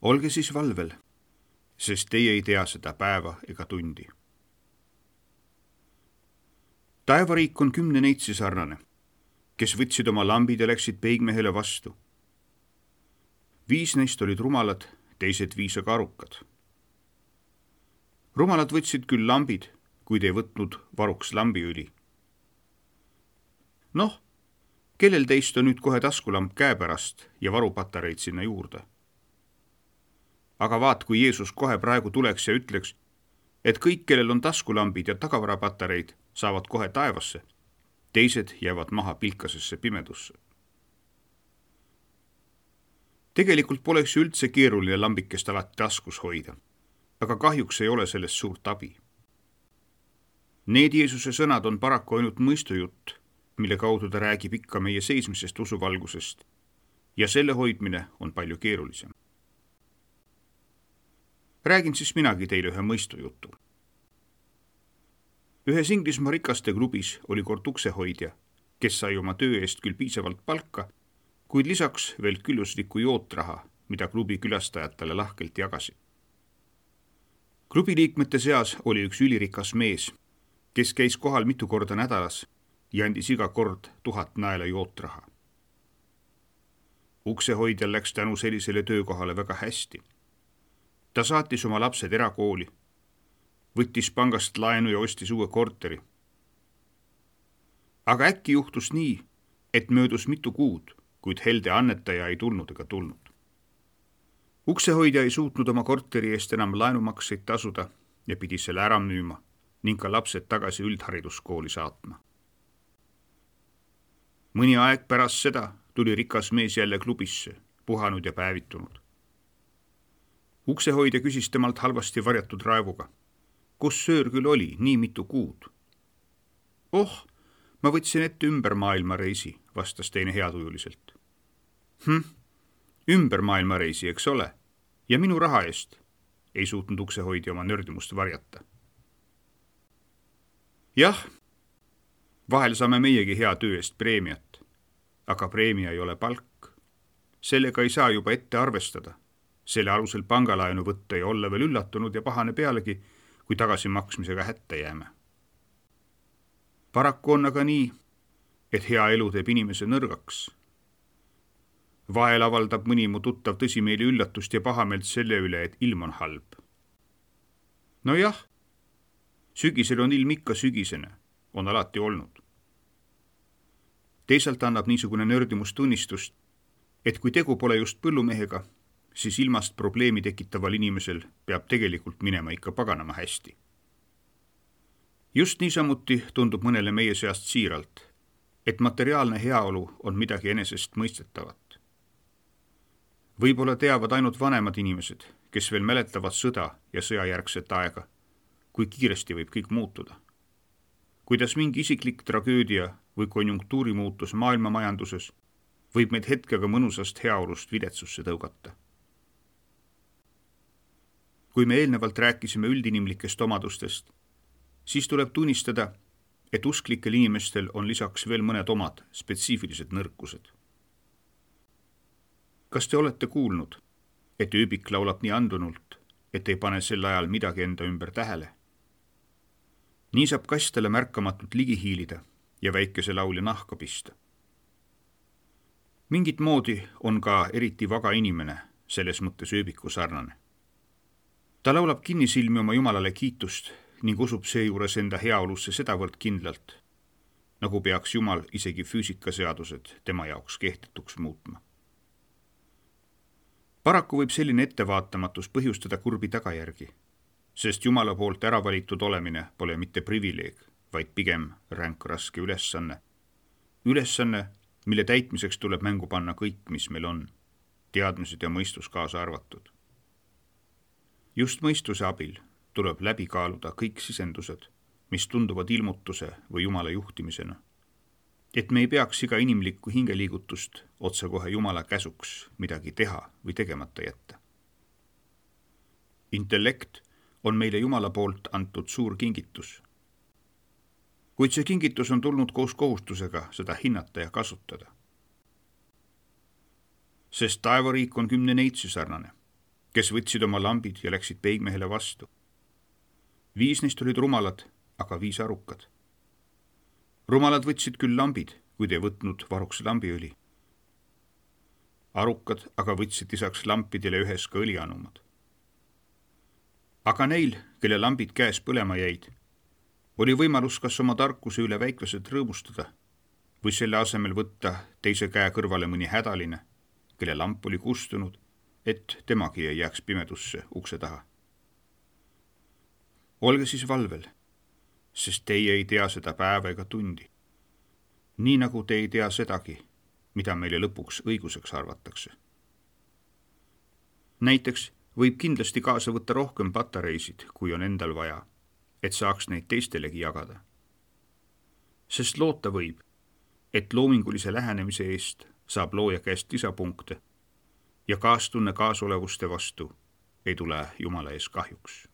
Olge siis valvel, sest teie ei tea seda päeva ega tundi. Taevariik on 10 neitsi sarnane, kes võtsid oma lambid ja läksid peigmehele vastu. 5 neist olid rumalad, teised 5 aga arukad. Rumalad võtsid küll lambid, kuid ei võtnud varuks lambiõli. Noh, kellel teist on nüüd kohe taskulamp käe pärast ja varupatareid sinna juurde? Aga vaat, kui Jeesus kohe praegu tuleks ja ütleks, et kõik, kellel on taskulambid ja tagavarapatareid, saavad kohe taevasse, teised jäävad maha pilkasesse pimedusse. Tegelikult poleks ju üldse keeruline lambikest alati taskus hoida, aga kahjuks ei ole sellest suurt abi. Need Jeesuse sõnad on paraku ainult mõistujutt, mille kaudu ta räägib ikka meie seismisest usuvalgusest ja selle hoidmine on palju keerulisem. Räägin siis minagi teile ühe mõistujutu. Ühes Inglismaa rikaste klubis oli kord uksehoidja, kes sai oma töö eest küll piisavalt palka, kuid lisaks veel külluslikku jootraha, mida klubi külastajatele lahkelt jagasid. Klubi liikmete seas oli üks ülirikas mees, kes käis kohal mitu korda nädalas ja andis iga kord 1000 naela jootraha. Uksehoidjal läks tänu sellisele töökohale väga hästi. Ta saatis oma lapsed erakooli, võttis pangast laenu ja ostis uue korteri. Aga äkki juhtus nii, et möödus mitu kuud, kuid helde annetaja ei tulnud ega tulnud. Uksehoidja ei suutnud oma korteri eest enam laenumakseid tasuda ja pidi selle ära müüma ning ka lapsed tagasi üldhariduskooli saatma. Mõni aeg pärast seda tuli rikas mees jälle klubisse, puhanud ja päevitunud. Uksehoidja küsis temalt halvasti varjatud raevuga. Kus söör küll oli nii mitu kuud? Oh, ma võtsin ette ümber maailmareisi, vastas teine heatujuliselt. Ümber maailmareisi, eks ole? Ja minu raha eest? Ei suutnud uksehoidja oma nördimust varjata. Jah, vahel saame meiegi hea töö eest preemiat, aga preemia ei ole palk. Sellega ei saa juba ette arvestada. Selle alusel pangalaenu võtta ja olla veel üllatunud ja pahane pealegi, kui tagasimaksmisega hätta jääme. Paraku on aga nii, et hea elu teeb inimese nõrgaks. Vahel avaldab mõni mu tuttav tõsimeeli üllatust ja pahameelt selle üle, et ilm on halb. No jah, sügisel on ilm ikka sügisene, on alati olnud. Teisalt annab niisugune nördimus tunnistust, et kui tegu pole just põllumehega, siis ilmast probleemi tekitaval inimesel peab tegelikult minema ikka paganama hästi. Just niisamuti tundub mõnele meie seast siiralt, et materiaalne heaolu on midagi enesest mõistetavat. Võib-olla teavad ainult vanemad inimesed, kes veel mäletavad sõda ja sõjajärgset aega, kui kiiresti võib kõik muutuda. Kuidas mingi isiklik tragöödia või konjunktuurimuutus maailma majanduses võib meid hetkega mõnusast heaolust videtsusse tõugata. Kui me eelnevalt rääkisime üldinimlikest omadustest, siis tuleb tunnistada, et usklikel inimestel on lisaks veel mõned omad spetsiifilised nõrkused. Kas te olete kuulnud, et ööbik laulab nii andunult, et ei pane sel ajal midagi enda ümber tähele? Nii saab kastele märkamatult ligi hiilida ja väikese laulja nahka pista. Mingit moodi on ka eriti vaga inimene selles mõttes ööbiku sarnane. Ta laulab kinnisilmi oma Jumalale kiitust ning usub seejuures enda heaolusse sedavõrd kindlalt, nagu peaks Jumal isegi füüsikaseadused tema jaoks kehtetuks muutma. Paraku võib selline ettevaatamatus põhjustada kurbi tagajärgi, sest Jumala poolt ära valitud olemine pole mitte privileeg, vaid pigem ränk raske ülesanne. Ülesanne, mille täitmiseks tuleb mängu panna kõik, mis meil on, teadmised ja mõistus kaasa arvatud. Just mõistuse abil tuleb läbi kaaluda kõik sisendused, mis tunduvad ilmutuse või Jumala juhtimisena, et me ei peaks iga inimlikku hingeliigutust otsekohe Jumala käsuks midagi teha või tegemata jätta. Intellekt on meile Jumala poolt antud suur kingitus. Kuid see kingitus on tulnud koos kohustusega seda hinnata ja kasutada. Sest taevariik on 10 neitsi sarnane, kes võtsid oma lambid ja läksid peigmehele vastu. 5 neist olid rumalad, aga 5 arukad. Rumalad võtsid küll lambid, kuid ei võtnud varuks lambiõli. Arukad aga võtsid lisaks lampidele ühes ka õlianumad. Aga neil, kelle lambid käes põlema jäid, oli võimalus kas oma tarkuse üle väiklased rõõmustada või selle asemel võtta teise käe kõrvale mõni hädaline, kelle lamp oli kustunud, et temagi ei jääks pimedusse ukse taha. Olge siis valvel, sest teie ei tea seda päeva ega tundi. Nii nagu te ei tea sedagi, mida meile lõpuks õiguseks arvatakse. Näiteks võib kindlasti kaasa võtta rohkem patareisid, kui on endal vaja, et saaks neid teistelegi jagada. Sest loota võib, et loomingulise lähenemise eest saab looja käest lisapunkte ja kaastunne kaasolevuste vastu ei tule Jumala ees kahjuks.